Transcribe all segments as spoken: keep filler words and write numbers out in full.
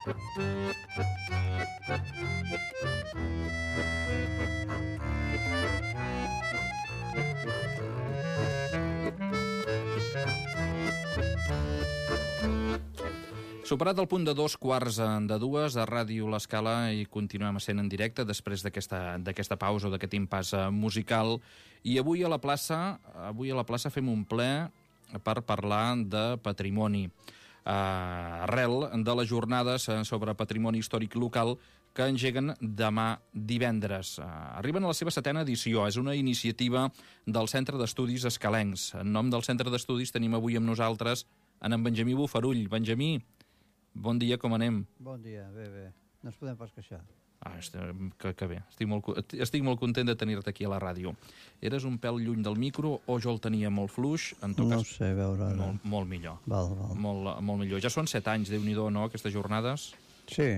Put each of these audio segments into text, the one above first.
Superat el punt de dos quarts de dues a Ràdio L'Escala i continuem sent en directe després d'aquesta d'aquesta pausa o d'aquest impàs musical. I avui a la plaça avui a la plaça fem un ple per parlar de patrimoni. Uh, arrel de les jornades sobre patrimoni històric local que engeguen demà divendres. Uh, arriben a la seva setena edició. És una iniciativa del Centre d'Estudis Escalencs. En nom del Centre d'Estudis tenim avui amb nosaltres en, en Benjamí Bofarull. Benjamí, bon dia, com anem? Bon dia, bé, bé. No ens podem pas queixar. Ah, que, que bé. Estic molt, estic molt content de tenir-te aquí a la ràdio. Eres un pèl lluny del micro o jo el tenia molt fluix? En tot no cas, sé, veure... Molt, molt millor. Val, val. Molt, molt millor. Ja són set anys, Déu-n'hi-do, no, aquestes jornades? Sí,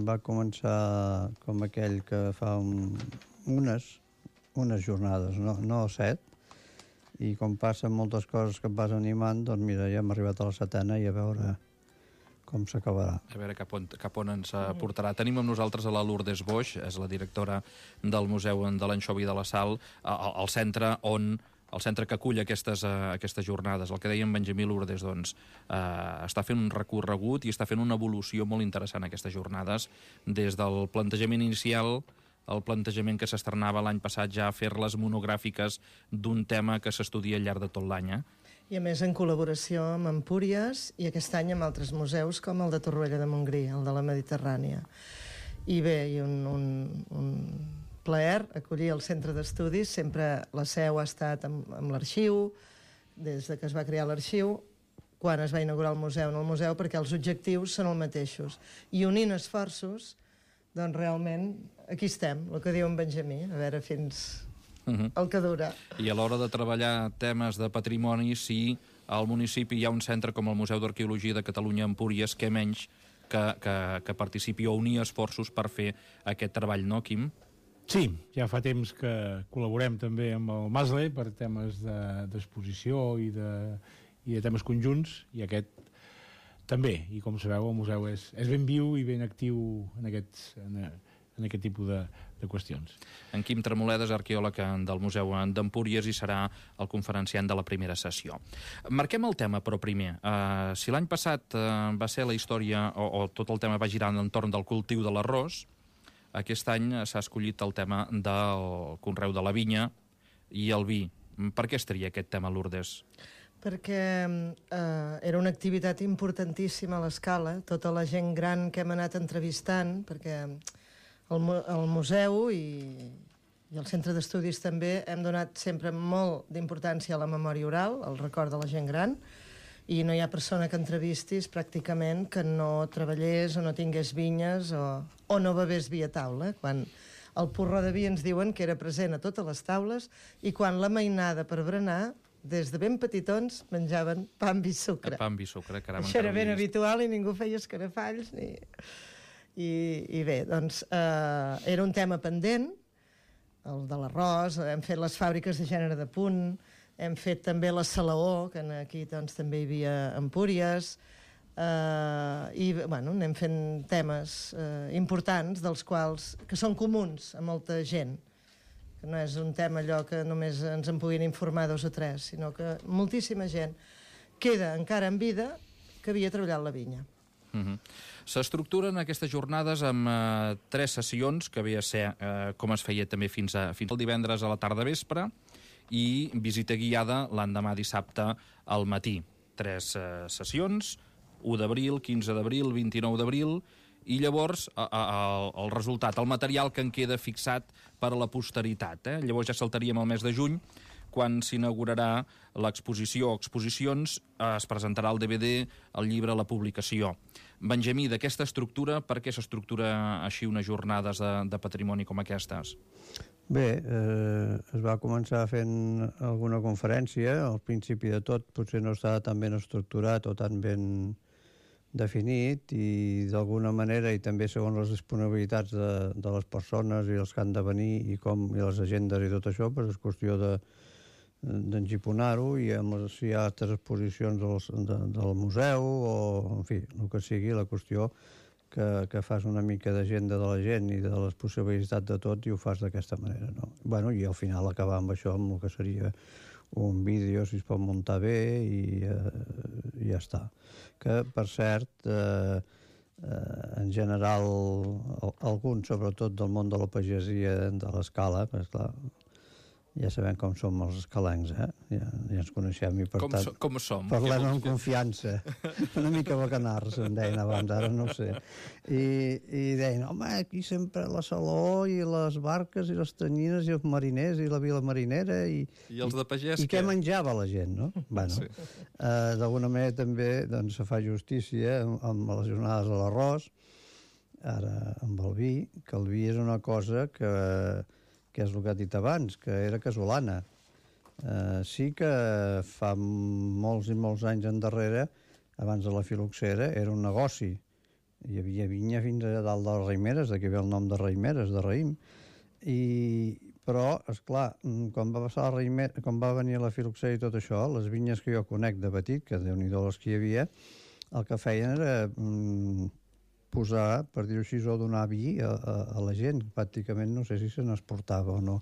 va començar com aquell que fa un, unes, unes jornades, no, no set, i com passen moltes coses que et vas animant, doncs mira, ja hem arribat a la setena i a veure com s'acabarà. A veure cap on, cap on ens portarà. Tenim amb nosaltres a la Lourdes Boix, és la directora del Museu de l'Anxovi de la Sal, al, al centre on el centre que acull aquestes, uh, aquestes jornades. El que deia en Benjamí, Lourdes, doncs, uh, està fent un recorregut i està fent una evolució molt interessant aquestes jornades, des del plantejament inicial, el plantejament que s'estrenava l'any passat ja a fer-les monogràfiques d'un tema que s'estudia al llarg de tot l'any, eh? I a més en col·laboració amb Empúries i aquest any amb altres museus com el de Torroella de Montgrí, el de la Mediterrània. I bé, i un, un, un plaer acollir el Centre d'Estudis. Sempre la seu ha estat amb, amb l'arxiu, des de que es va crear l'arxiu, quan es va inaugurar el museu en el museu, perquè els objectius són els mateixos. I unint esforços, doncs realment aquí estem, el que diu en Benjamí, a veure fins... Uh-huh. El que dura. I a l'hora de treballar temes de patrimoni, si al municipi hi ha un centre com el Museu d'Arqueologia de Catalunya Empúries, què menys que, que, que participi o unir esforços per fer aquest treball, no, Quim? Sí, ja fa temps que col·laborem també amb el Masle per temes d'exposició de, i, de, i de temes conjunts, i aquest també, i com sabeu el museu és, és ben viu i ben actiu en aquests... En, en aquest tipus de, de qüestions. En Quim Tremoledes, arqueòleg del Museu d'Empúries, i serà el conferenciant de la primera sessió. Marquem el tema, però, primer. Uh, si l'any passat uh, va ser la història, o, o tot el tema va girar entorn del cultiu de l'arròs, aquest any s'ha escollit el tema del conreu de la vinya i el vi. Per què es tria aquest tema, Lourdes? Perquè eh, era una activitat importantíssima a l'Escala, tota la gent gran que hem anat entrevistant, perquè el, el museu i, i el centre d'estudis també hem donat sempre molt d'importància a la memòria oral, al record de la gent gran, i no hi ha persona que entrevistis pràcticament que no treballés o no tingués vinyes o, o no bevés vi a taula. Quan el porró de vi ens diuen que era present a totes les taules, i quan la mainada per berenar, des de ben petitons menjaven pa amb vi sucre. Pa amb vi sucre, caram. Això era ben habitual i ningú feia escarafalls ni... I, i bé, doncs eh, era un tema pendent, el de l'arròs, hem fet les fàbriques de gènere de punt, hem fet també la salaó, que aquí doncs, també hi havia Empúries, eh, i bueno, anem fent temes eh, importants, dels quals, que són comuns a molta gent, que no és un tema allò que només ens en puguin informar dos o tres, sinó que moltíssima gent queda encara en vida que havia treballat la vinya. Uh-huh. S'estructuren aquestes jornades amb eh, tres sessions, que ve a ser eh, com es feia també fins, a, fins al divendres a la tarda vespre, i visita guiada l'endemà dissabte al matí. Tres eh, sessions, u d'abril, quinze d'abril, vint-i-nou d'abril, i llavors a, a, a, el resultat, el material que en queda fixat per a la posteritat. Eh? Llavors ja saltaríem al mes de juny, quan s'inaugurarà l'exposició o exposicions, es presentarà el D V D, el llibre, la publicació. Benjamí, d'aquesta estructura, per què s'estructura així unes jornades de, de patrimoni com aquestes? Bé, eh, es va començar fent alguna conferència, al principi de tot potser no estava tan ben estructurat o tan ben definit, i d'alguna manera, i també segons les disponibilitats de, de les persones i els que han de venir i, com, i les agendes i tot això, doncs és qüestió de d'engiponar-ho, i amb les, si hi ha altres exposicions del, de, del museu o, en fi, el que sigui, la qüestió que, que fas una mica d'agenda de la gent i de les possibilitats de tot i ho fas d'aquesta manera, no? Bueno, i al final acabar amb això, amb el que seria un vídeo, si es pot muntar bé i eh, ja està. Que, per cert, eh, eh, en general, alguns, sobretot del món de la pagesia, de l'escala, perquè, clar, ja sabem com som els escalencs, eh? Ja, ja ens coneixem i, per com tant, so, com som? parlem amb confiança. Una mica bacanars, em deien abans, ara no ho sé. I, i deien, home, aquí sempre la Saló i les barques i les tanyines i els mariners i la vila marinera i... I els de pagès, I què menjava la gent, no? Bueno, sí. eh, d'alguna manera també doncs, se fa justícia amb, amb les jornades de l'arròs, ara amb el vi, que el vi és una cosa que... que és el que ha dit abans, que era casolana. Eh, sí que fa molts i molts anys endarrere, abans de la filoxera, era un negoci. Hi havia vinya fins a dalt de les Raimeres, d'aquí ve el nom de Raimeres, de raïm. I, però, esclar, quan va passar la Raimera, quan va venir la filoxera i tot això, les vinyes que jo conec de petit, que déu-n'hi-do les que hi havia, el que feien era... Mm, posar, per dir-ho així, o donar vi a, a, a la gent. Pràcticament no sé si se n'exportava o no.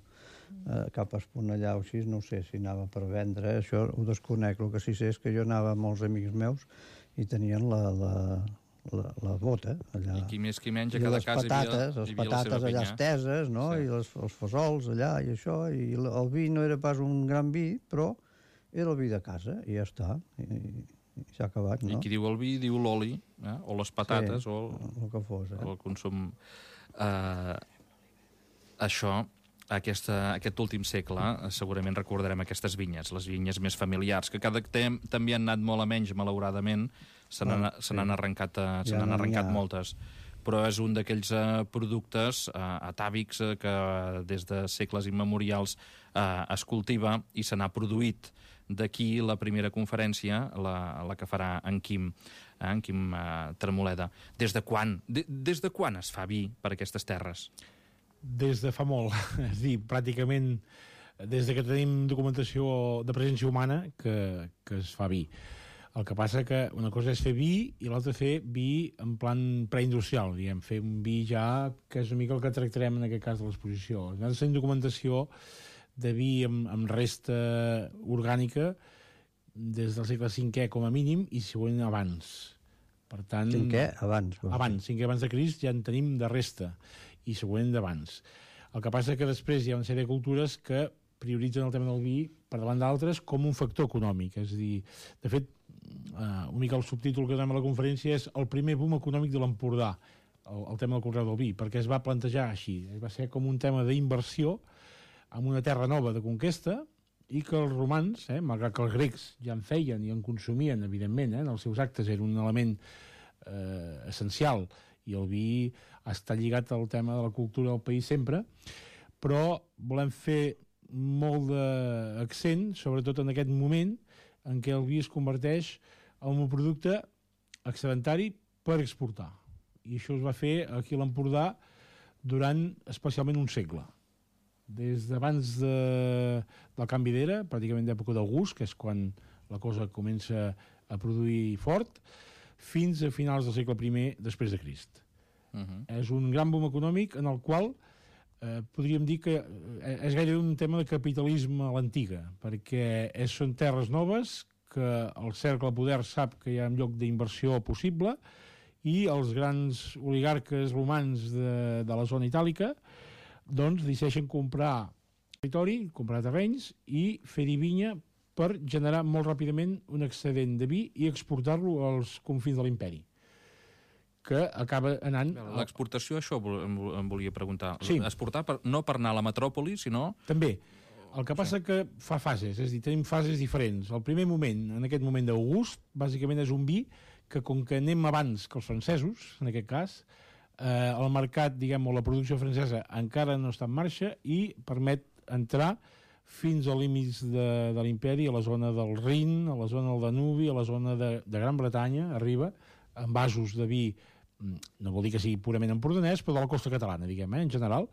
Eh, cap a Esponellà o així, no sé si anava per vendre, això ho desconec. El que sí sé és que jo anava amb molts amics meus i tenien la, la, la, la bota allà. I qui més qui menys, a cada casa patates, hi havia, les hi havia patates la seva allà vinya. esteses, no? Sí. I les, els fesols allà i això, i el vi no era pas un gran vi, però era el vi de casa, i ja està. I, i s'ha acabat, no? I qui diu el vi, diu l'oli, eh? O les patates, sí, o, el, el que fos, eh? o el consum... Uh, això, aquesta, aquest últim segle, segurament recordarem aquestes vinyes, les vinyes més familiars, que cada temps també han anat molt a menys, malauradament, se n'han Ah, sí. arrencat, uh, se Ja n'han no n'hi arrencat ha. moltes. Però és un d'aquells uh, productes uh, atàvics uh, que des de segles immemorials uh, es cultiva i se n'ha produït. D'aquí la primera conferència, la, la que farà en Quim, eh, en Quim eh, Tremoleda. Des de quan? De, des de quan es fa vi per aquestes terres? Des de fa molt, és a dir, pràcticament des de que tenim documentació de presència humana que, que es fa vi. El que passa que una cosa és fer vi i l'altra fer vi en plan preindustrial, diguem, fer un vi ja que és una mica el que tractarem en aquest cas de l'exposició. Nosaltres tenim documentació de vi amb, amb resta orgànica des del segle cinquè com a mínim i següent abans. Per tant, Cinquè? Abans. abans, cinquè abans de Crist ja en tenim de resta i següent d'abans. El que passa que després hi ha una sèrie de cultures que prioritzen el tema del vi per davant d'altres com un factor econòmic. És a dir, de fet, uh, una mica el subtítol que donem a la conferència és el primer boom econòmic de l'Empordà, el, el tema del conreu del vi, perquè es va plantejar així. Va ser com un tema d'inversió amb una terra nova de conquesta i que els romans, eh, malgrat que els grecs ja en feien i en consumien, evidentment, eh, en els seus actes era un element eh, essencial i el vi està lligat al tema de la cultura del país sempre, però volem fer molt d'accent, sobretot en aquest moment en què el vi es converteix en un producte excedentari per exportar. I això es va fer aquí a l'Empordà durant especialment un segle. Des d'abans de, del canvi d'era, pràcticament d'època d'August, que és quan la cosa comença a produir fort, fins a finals del segle primer després de Crist. Uh -huh. És un gran boom econòmic en el qual eh, podríem dir que eh, és gairebé un tema de capitalisme a l'antiga, perquè és, són terres noves que el cercle de poder sap que hi ha un lloc d'inversió possible i els grans oligarques romans de, de la zona itàlica doncs decideixen comprar territori, comprar terrenys i fer-hi vinya per generar molt ràpidament un excedent de vi i exportar-lo als confins de l'imperi, que acaba anant... L'exportació, això em volia preguntar. Sí. Exportar per, no per anar a la metròpoli, sinó... També. El que passa que fa fases, és a dir, tenim fases diferents. El primer moment, en aquest moment d'August, bàsicament és un vi que, com que anem abans que els francesos, en aquest cas, eh, el mercat, diguem, o la producció francesa encara no està en marxa i permet entrar fins als límits de, de l'imperi, a la zona del Rin, a la zona del Danubi, a la zona de, de Gran Bretanya, arriba, amb vasos de vi, no vol dir que sigui purament empordanès, però de la costa catalana, diguem, eh, en general,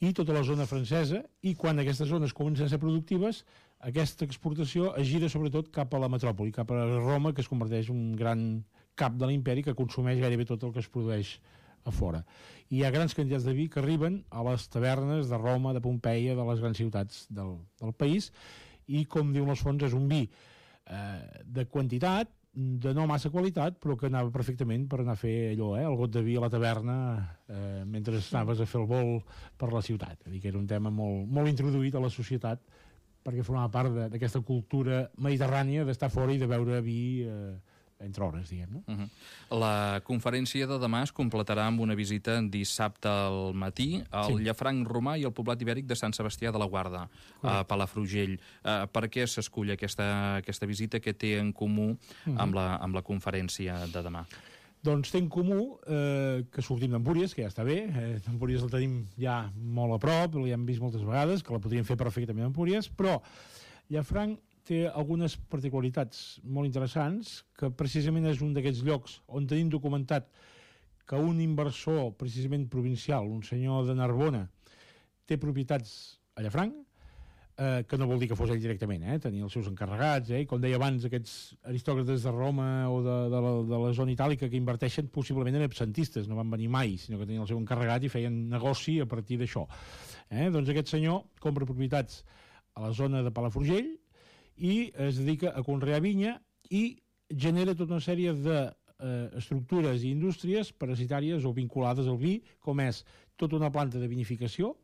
i tota la zona francesa, i quan aquestes zones comencen a ser productives, aquesta exportació es gira sobretot cap a la metròpoli, cap a Roma, que es converteix en un gran cap de l'imperi que consumeix gairebé tot el que es produeix a fora. I hi ha grans quantitats de vi que arriben a les tavernes de Roma, de Pompeia, de les grans ciutats del, del país, i, com diuen les fonts, és un vi eh, de quantitat, de no massa qualitat, però que anava perfectament per anar a fer allò, eh, el got de vi a la taverna eh, mentre anaves a fer el vol per la ciutat. És a dir, que era un tema molt, molt introduït a la societat perquè formava part d'aquesta cultura mediterrània d'estar fora i de beure vi eh, entre hores, diguem, no? Uh -huh. La conferència de demà es completarà amb una visita dissabte al matí al sí. Llafranc Romà i al poblat ibèric de Sant Sebastià de la Guarda, Correcte. a Palafrugell. Uh, per què s'escull aquesta, aquesta visita? Què té en comú uh -huh. amb, la, amb la conferència de demà? Doncs té en comú eh, que sortim d'Empúries, que ja està bé. Eh, Empúries el tenim ja molt a prop, l'hem vist moltes vegades, que la podríem fer perfectament a Empúries, però Llafranc té algunes particularitats molt interessants, que precisament és un d'aquests llocs on tenim documentat que un inversor, precisament provincial, un senyor de Narbona, té propietats a Llafranc, eh, que no vol dir que fos ell directament, eh? Tenia els seus encarregats, eh? I com deia abans, aquests aristòcrates de Roma o de, de, la, de la zona itàlica que inverteixen possiblement en absentistes, no van venir mai, sinó que tenien el seu encarregat i feien negoci a partir d'això. Eh? Doncs aquest senyor compra propietats a la zona de Palafrugell i es dedica a conrear vinya i genera tota una sèrie d'estructures eh, i indústries parasitàries o vinculades al vi, com és tota una planta de vinificació,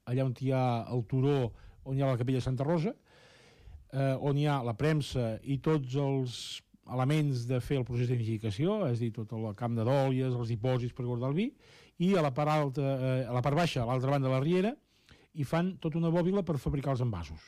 allà on hi ha el turó, on hi ha la capella de Santa Rosa, eh, on hi ha la premsa i tots els elements de fer el procés de vinificació, és a dir, tot el camp de dòlies, els dipòsits per guardar el vi, i a la part, alta, eh, a la part baixa, a l'altra banda de la riera, hi fan tota una bòbila per fabricar els envasos.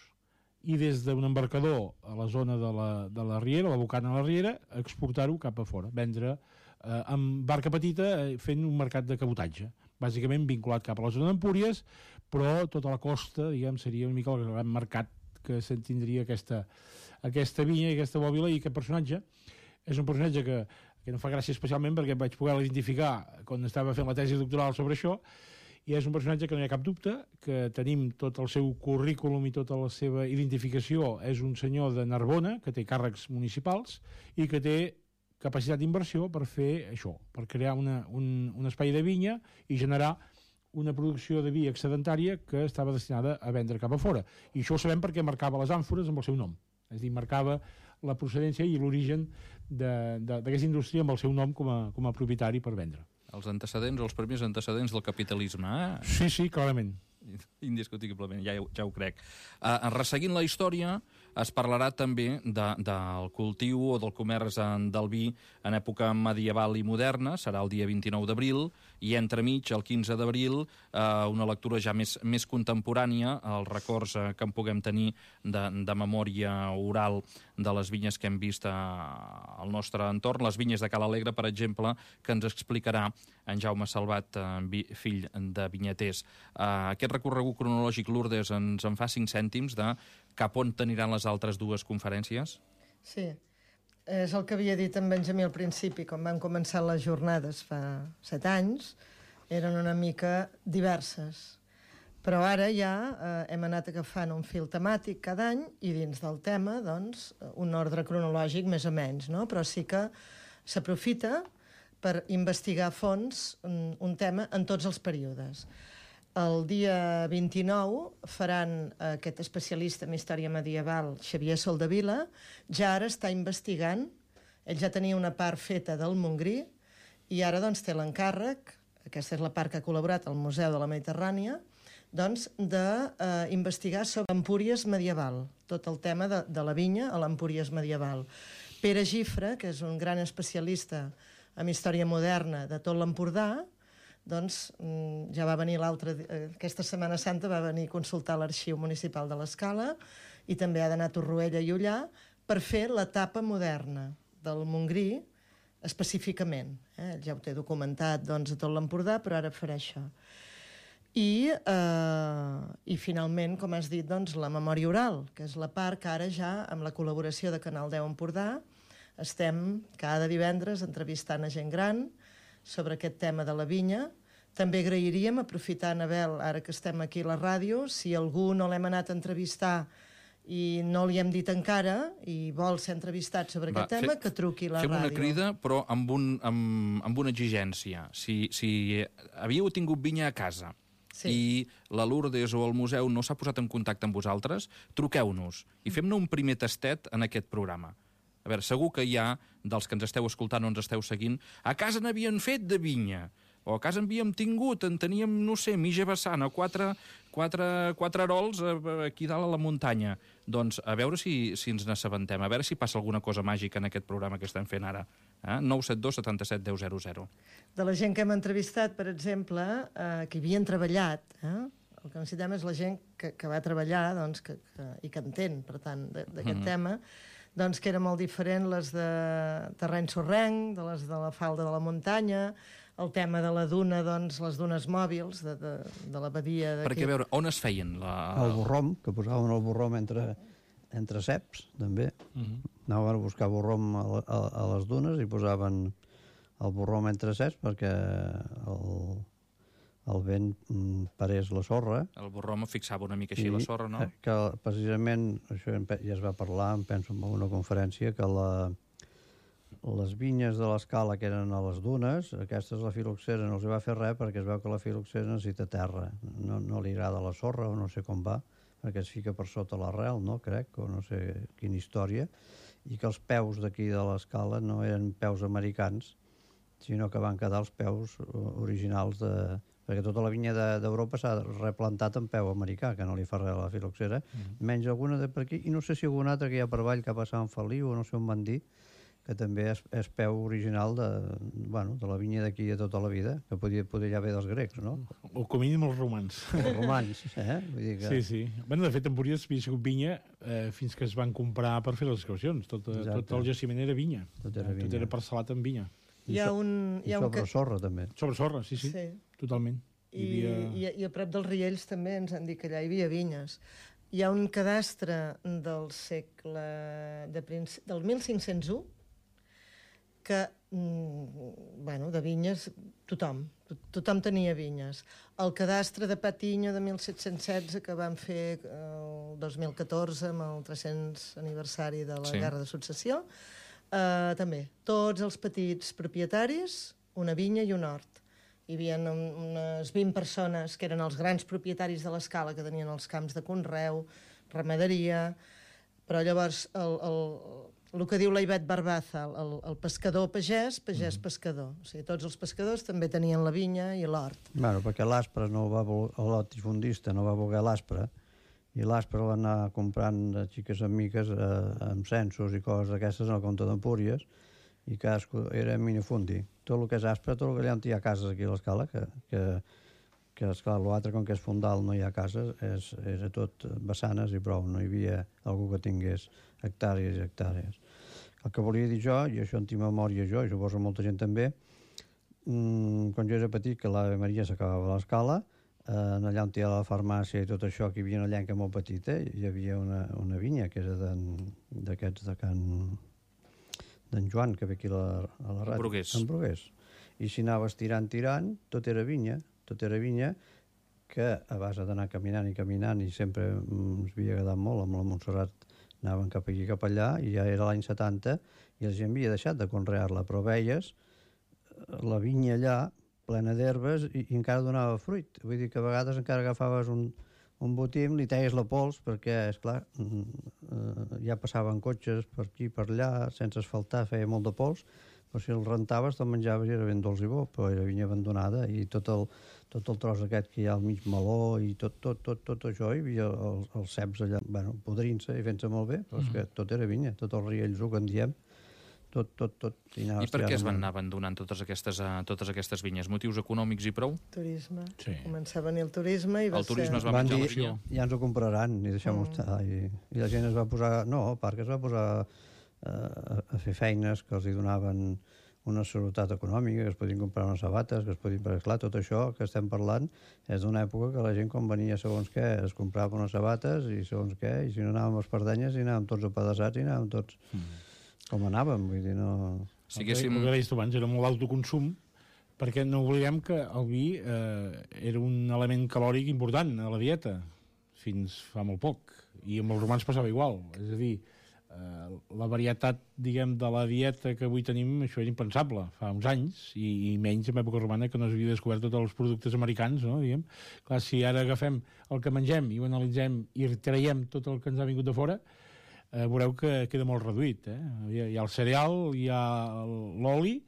I des d'un embarcador a la zona de la, de la riera, la bocana de la riera, exportar-ho cap a fora, vendre eh, amb barca petita eh, fent un mercat de cabotatge, bàsicament vinculat cap a la zona d'Empúries, però tota la costa, diguem, seria una mica el gran mercat que se'n tindria aquesta, aquesta vinya i aquesta bòbila, i aquest personatge és un personatge que, que no fa gràcia especialment perquè vaig poder identificar quan estava fent la tesi doctoral sobre això, i és un personatge que no hi ha cap dubte, que tenim tot el seu currículum i tota la seva identificació. És un senyor de Narbona, que té càrrecs municipals i que té capacitat d'inversió per fer això, per crear una, un, un espai de vinya i generar una producció de vi excedentària que estava destinada a vendre cap a fora. I això ho sabem perquè marcava les àmfores amb el seu nom. És a dir, marcava la procedència i l'origen d'aquesta indústria amb el seu nom com a, com a propietari per vendre. Els antecedents, els primers antecedents del capitalisme, eh? Sí, sí, clarament. Indiscutiblement, ja, ja ho crec. Uh, resseguint la història, es parlarà també de, del cultiu o del comerç del vi en època medieval i moderna, serà el dia vint-i-nou d'abril, i entremig, el quinze d'abril, uh, una lectura ja més, més contemporània, els records uh, que en puguem tenir de, de memòria oral de les vinyes que hem vist uh, al nostre entorn, les vinyes de Cala Alegre, per exemple, que ens explicarà en Jaume Salvat, uh, fill de vinyaters. Uh, aquest recorregut cronològic, Lourdes, ens en fa cinc cèntims de cap on t'aniran les altres dues conferències? Sí, és el que havia dit en Benjamí al principi, quan van començar les jornades fa set anys, eren una mica diverses. Però ara ja eh, hem anat agafant un fil temàtic cada any i dins del tema, doncs, un ordre cronològic més o menys, no? Però sí que s'aprofita per investigar a fons un, un tema en tots els períodes. El dia vint-i-nou faran aquest especialista en història medieval, Xavier Soldevila, ja ara està investigant, ell ja tenia una part feta del Montgrí, i ara doncs té l'encàrrec, aquesta és la part que ha col·laborat al Museu de la Mediterrània, doncs d'investigar eh, sobre l'Empúries medieval, tot el tema de, de la vinya a l'Empúries medieval. Pere Gifre, que és un gran especialista en història moderna de tot l'Empordà, doncs ja va venir l'altra... Aquesta Setmana Santa va venir a consultar l'Arxiu Municipal de l'Escala i també ha d'anar a Torroella i Ullà per fer l'etapa moderna del Montgrí específicament. Eh? Ja ho té documentat doncs, a tot l'Empordà, però ara farà això. I, eh, i finalment, com has dit, doncs, la memòria oral, que és la part que ara ja, amb la col·laboració de Canal deu Empordà, estem cada divendres entrevistant a gent gran sobre aquest tema de la vinya. També agrairíem, aprofitant, Abel, ara que estem aquí a la ràdio, si algú no l'hem anat a entrevistar i no li hem dit encara i vol ser entrevistat sobre Va, aquest tema, fe, que truqui a la fem ràdio. Fem una crida, però amb, un, amb, amb una exigència. Si, si havíeu tingut vinya a casa sí. i la Lourdes o el museu no s'ha posat en contacte amb vosaltres, truqueu-nos i fem-ne un primer tastet en aquest programa. A veure, segur que hi ha, dels que ens esteu escoltant o ens esteu seguint, a casa n'havien fet de vinya, o a casa havíem tingut, en teníem, no sé, mitja vessant, o quatre, quatre, quatre arols aquí dalt a la muntanya. Doncs a veure si, si ens n'assabentem, a veure si passa alguna cosa màgica en aquest programa que estem fent ara. Eh? nou set dos setanta set deu zero zero. De la gent que hem entrevistat, per exemple, eh, que havien treballat, eh? El que necessitem és la gent que, que va treballar doncs, que, que, i que entén, per tant, d'aquest mm-hmm. tema, doncs que era molt diferent les de terreny sorrenc, de les de la falda de la muntanya, el tema de la duna, doncs, les dunes mòbils de, de, de la badia d'aquí. Perquè, a veure, on es feien? La... El borrom, que posaven el borrom entre, entre ceps, també. Uh-huh. Anaven a buscar borrom a, a, a les dunes i posaven el borrom entre ceps perquè el, el vent parés la sorra. El borrom fixava una mica així I, la sorra, no? Que precisament, això ja es va parlar, em penso en una conferència, que la... les vinyes de l'escala que eren a les dunes, aquestes la filoxera no els va fer res perquè es veu que la filoxera necessita terra. No, no li agrada la sorra o no sé com va, perquè es fica per sota l'arrel, no? Crec, o no sé quina història, i que els peus d'aquí de l'escala no eren peus americans, sinó que van quedar els peus originals de... perquè tota la vinya d'Europa de, s'ha replantat en peu americà, que no li fa res a la filoxera, mm. menys alguna de per aquí, i no sé si alguna altra que hi ha per avall cap a Sant Feliu, o no sé on van dir, que també és, és peu original de, bueno, de la vinya d'aquí de tota la vida, que podia, podia ja haver dels grecs, no? O com a mínim els romans. Els romans, eh? Vull dir que... Sí, sí. Bueno, de fet, en Empúries havia sigut vinya eh, fins que es van comprar per fer les excavacions. Tot, tot el jaciment era vinya. Tot era vinya. Tot era parcel·lat amb vinya. Hi ha un... I hi ha un sobre que... sorra, també. Sobre sorra, sí, sí. sí. Totalment. I, havia... i, I a prop dels Riells també ens han dit que allà hi havia vinyes. Hi ha un cadastre del segle... De princ... del mil cinc-cents u que, mm, bueno, de vinyes, tothom, tothom tenia vinyes. El cadastre de Patiño de mil set-cents setze que van fer el dos mil catorze amb el tres-cents aniversari de la sí. Guerra de Successió, eh, també, tots els petits propietaris, una vinya i un hort. Hi havia unes vint persones que eren els grans propietaris de l'escala, que tenien els camps de conreu, ramaderia, però llavors el, el, el que diu la Ivet Barbaza, el, el pescador pagès, pagès mm. pescador. O sigui, tots els pescadors també tenien la vinya i l'hort. Bueno, perquè l'Aspre no va voler, el latifundista no va voler l'Aspre, i l'Aspre va anar comprant de xiques en miques eh, amb censos i coses d'aquestes en el compte d'Empúries, i cadascú era minifundi. Tot el que és Aspre, tot el que allà hi ha cases aquí a l'escala, que, que, que esclar, l'altre, com que és fondal, no hi ha cases, és, era tot vessanes i prou, no hi havia algú que tingués hectàrees i hectàrees. El que volia dir jo, i això en tinc memòria jo, i suposo molta gent també, mmm, quan jo era petit, que l'Ave Maria s'acabava a l'escala, eh, allà on hi ha la farmàcia i tot això, que hi havia una llenca molt petita, hi havia una, una vinya que era d'aquests de Can... d'en Joan, que ve aquí a la, a la ràdio. Brugués. En Brugués. I si anaves tirant, tirant, tot era vinya, tot era vinya, que a base d'anar caminant i caminant, i sempre ens havia agradat molt, amb la Montserrat anaven cap aquí, cap allà, i ja era l'any setanta, i la gent havia deixat de conrear-la, però veies la vinya allà, plena d'herbes, i, i encara donava fruit. Vull dir que a vegades encara agafaves un, un botim, li teies la pols, perquè, esclar, ja passaven cotxes per aquí, per allà, sense asfaltar, feia molt de pols, però si el rentaves te'l menjaves i era ben dolç i bo, però era vinya abandonada, i tot el, tot el tros aquest que hi ha al mig meló i tot, tot, tot, tot això, hi havia els, els ceps allà, bueno, podrint-se i fent-se molt bé, però és que tot era vinya, tot el riells que en diem, tot, tot, tot. I, I per què es van anar abandonant totes aquestes, uh, totes aquestes vinyes? Motius econòmics i prou? Turisme. Sí. Començar a venir el turisme i va el turisme ser... es va van menjar dir, la vinya. Ja ens ho compraran i deixem-ho Mm. estar. I, I la gent es va posar... No, el parc es va posar uh, a, a fer feines que els hi donaven una seguretat econòmica, que es podien comprar unes sabates, que es podien... Perquè, clar, tot això que estem parlant és d'una època que la gent, quan venia segons què, es comprava unes sabates i segons què, i si no anàvem a les Pardenyes i anàvem tots apedaçats i anàvem tots mm. com anàvem, vull dir, no... Si haguéssim... El que deies tu abans era molt d'autoconsum, perquè no oblidem que el vi eh, era un element calòric important a la dieta, fins fa molt poc. I amb els romans passava igual. És a dir, eh, la varietat, diguem, de la dieta que avui tenim, això era impensable fa uns anys, i, i menys en època romana, que no s'havia descobert tots els productes americans, no? Diguem. Clar, si ara agafem el que mengem i ho analitzem i traiem tot el que ens ha vingut de fora, eh, veureu que queda molt reduït. Eh? Hi, ha, hi ha el cereal, hi ha l'oli,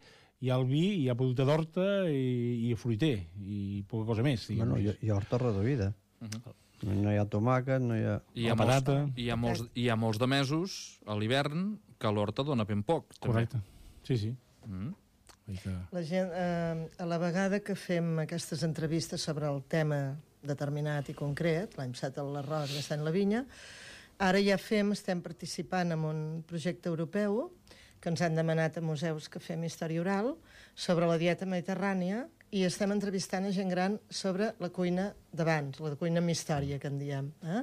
hi ha el vi, hi ha producte d'horta i, i fruiter, i poca cosa més. Bueno, hi, hi ha horta reduïda. Uh -huh. No hi ha tomàquet, no hi ha... Hi ha, molts, hi, ha molts, hi ha molts de mesos a l'hivern que l'horta dona ben poc. Correcte, també. sí, sí. Mm. La gent, eh, a la vegada que fem aquestes entrevistes sobre el tema determinat i concret, l'any passat l'arròs, aquest any la vinya, ara ja fem, estem participant en un projecte europeu que ens han demanat a museus que fem història oral sobre la dieta mediterrània i estem entrevistant a gent gran sobre la cuina d'abans, la cuina amb història, que en diem. Eh?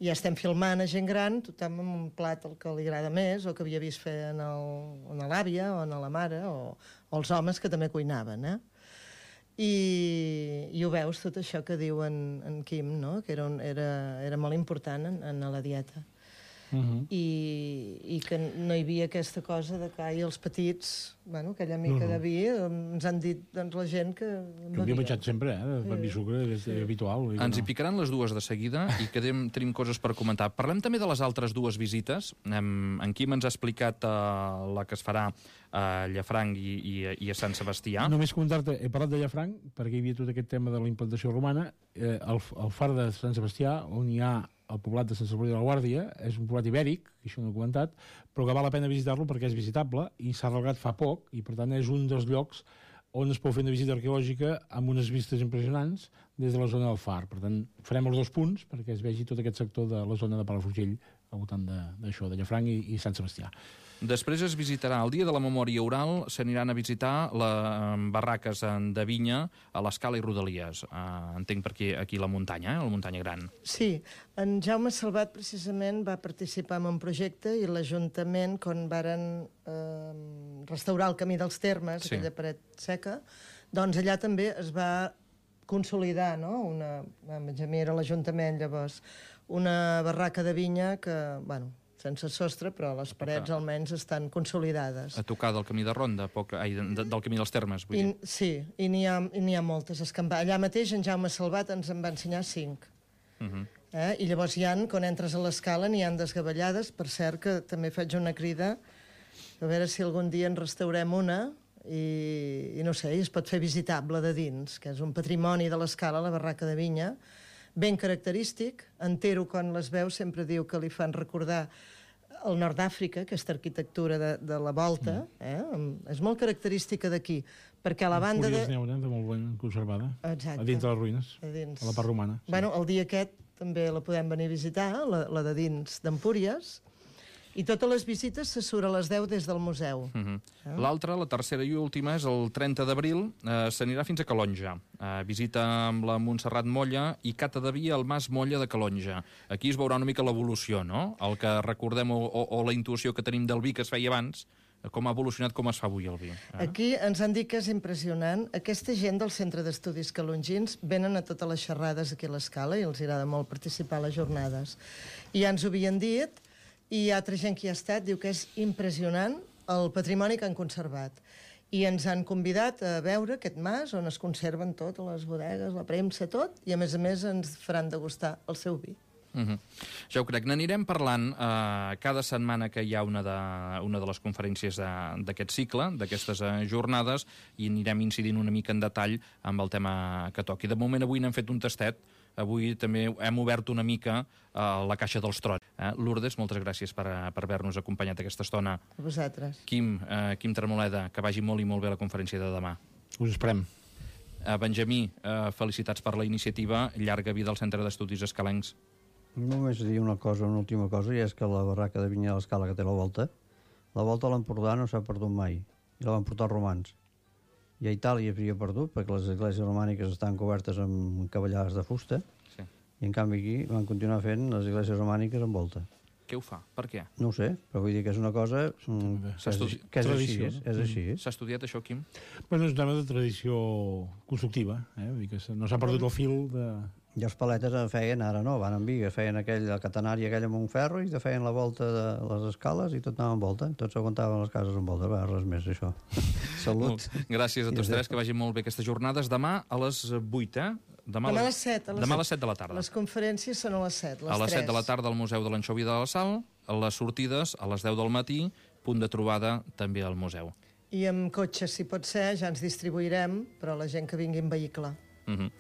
I ja estem filmant a gent gran, tothom amb un plat el que li agrada més, o que havia vist fer en l'àvia o en la mare, o, o els homes que també cuinaven. Eh? I, I ho veus, tot això que diu en, en Quim, no? Que era, un, era, era molt important en, en la dieta. Uh-huh. I, i que no hi havia aquesta cosa de que ai, els petits, bueno, aquella mica uh-huh. de vi, ens han dit doncs, la gent que... Que havia menjat sempre, eh? De pa i sucre, és sí. habitual. Ens no. hi picaran les dues de seguida i quedem, tenim coses per comentar. Parlem també de les altres dues visites. En, en Quim ens ha explicat uh, la que es farà a Llafranc i, i, i a Sant Sebastià. Només comentar-te, he parlat de Llafranc, perquè hi havia tot aquest tema de la implantació romana. Eh, el, el far de Sant Sebastià, on hi ha el poblat de Sant Salvador de la Guàrdia, és un poblat ibèric, això no he comentat, però que val la pena visitar-lo perquè és visitable i s'ha arreglat fa poc i, per tant, és un dels llocs on es pot fer una visita arqueològica amb unes vistes impressionants des de la zona del Far. Per tant, farem els dos punts perquè es vegi tot aquest sector de la zona de Palafrugell al voltant d'això, de, de Llafranc i, i Sant Sebastià. Després es visitarà el Dia de la Memòria Oral, s'aniran a visitar les barraques de vinya a l'Escala i Rodalies. Uh, entenc per aquí, aquí la muntanya, eh? La muntanya gran. Sí, en Jaume Salvat precisament va participar en un projecte i l'Ajuntament, quan varen eh, restaurar el Camí dels Termes, sí. aquella paret seca, doncs allà també es va consolidar, no? Una, Benjamí era l'Ajuntament llavors, una barraca de vinya que, bueno, sense sostre, però les parets almenys estan consolidades. A tocar del camí de Ronda, poc, ai, de, del camí dels Termes, vull I, dir. Sí, i n'hi ha, ha moltes. Escampar. Allà mateix en Jaume Salvat ens en va ensenyar cinc. Uh -huh. eh? I llavors hi ha, quan entres a l'escala, n'hi ha desgavellades. Per cert, que també faig una crida a veure si algun dia en restaurem una i, i no sé, i es pot fer visitable de dins, que és un patrimoni de l'escala, la barraca de vinya, ben característic. Entero, quan les veu, sempre diu que li fan recordar el nord d'Àfrica, aquesta arquitectura de, de la volta, eh? És molt característica d'aquí, perquè a la banda de... N'hi haurà de molt ben conservada, exacte, a dins de les ruïnes, a, dins. a la part romana. Sí. Bueno, el dia aquest també la podem venir a visitar, la, la de dins d'Empúries, i totes les visites se surt a les deu des del museu. Uh -huh. eh? L'altra, la tercera i última, és el trenta d'abril, eh, s'anirà fins a Calonja. Eh, visita amb la Montserrat Molla i cata de vi al Mas Molla de Calonja. Aquí es veurà una mica l'evolució, no? El que recordem o, o, o la intuïció que tenim del vi que es feia abans, com ha evolucionat, com es fa avui el vi. Eh? Aquí ens han dit que és impressionant. Aquesta gent del Centre d'Estudis Calongins venen a totes les xerrades aquí a l'Escala i els agrada molt participar a les jornades. I ja ens ho havien dit, i altra gent que hi ha estat diu que és impressionant el patrimoni que han conservat. I ens han convidat a veure aquest mas on es conserven totes les bodegues, la premsa, tot, i a més a més ens faran degustar el seu vi. Uh-huh. Ja ho crec. N'anirem parlant uh, cada setmana que hi ha una de, una de les conferències d'aquest cicle, d'aquestes uh, jornades, i anirem incidint una mica en detall amb el tema que toqui. De moment avui n'hem fet un tastet. Avui també hem obert una mica uh, la caixa dels trons. Eh? Lourdes, moltes gràcies per, per haver-nos acompanyat aquesta estona. A vosaltres. Quim, uh, Quim Tremoleda, que vagi molt i molt bé la conferència de demà. Us esperem. Uh, Benjamí, uh, felicitats per la iniciativa. Llarga vida al Centre d'Estudis Escalencs. Només dir una cosa, una última cosa, i és que la barraca de vinya de l'Escala que té la volta, la volta a l'Empordà no s'ha perdut mai, i la van portar els romans. I a Itàlia s'havia perdut, perquè les esglésies romàniques estan cobertes amb cavallades de fusta, sí. I en canvi aquí van continuar fent les esglésies romàniques amb volta. Què què ho fa? Per què? No ho sé, però vull dir que és una cosa mm, que, és, que és així. És, és així. S'ha estudiat això, Quim? Bueno, és un tema de tradició constructiva, eh? Vull dir que no s'ha perdut el fil de... I els paletes en feien, ara no, van en Bigues, feien aquell, el catenari aquell amb un ferro i feien la volta de les escales i tot anava en volta. Tots aguantaven les cases en volta, va, res més, això. Salut. Molt. Gràcies a tots tres, que vagin molt bé aquestes jornades. Demà a les vuit, eh? Demà, Demà a les set. A les Demà a les set de la tarda. Les conferències són a les set, les a les tres. set de la tarda al Museu de l'Anxovi de la Sal, a les sortides a les deu del matí, punt de trobada també al museu. I amb cotxes, si pot ser, ja ens distribuirem, però la gent que vingui en vehicle. Uh -huh.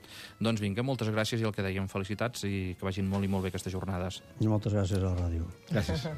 Doncs vinga, moltes gràcies i el que dèiem, felicitats i que vagin molt i molt bé aquestes jornades. I moltes gràcies a la ràdio. Gràcies.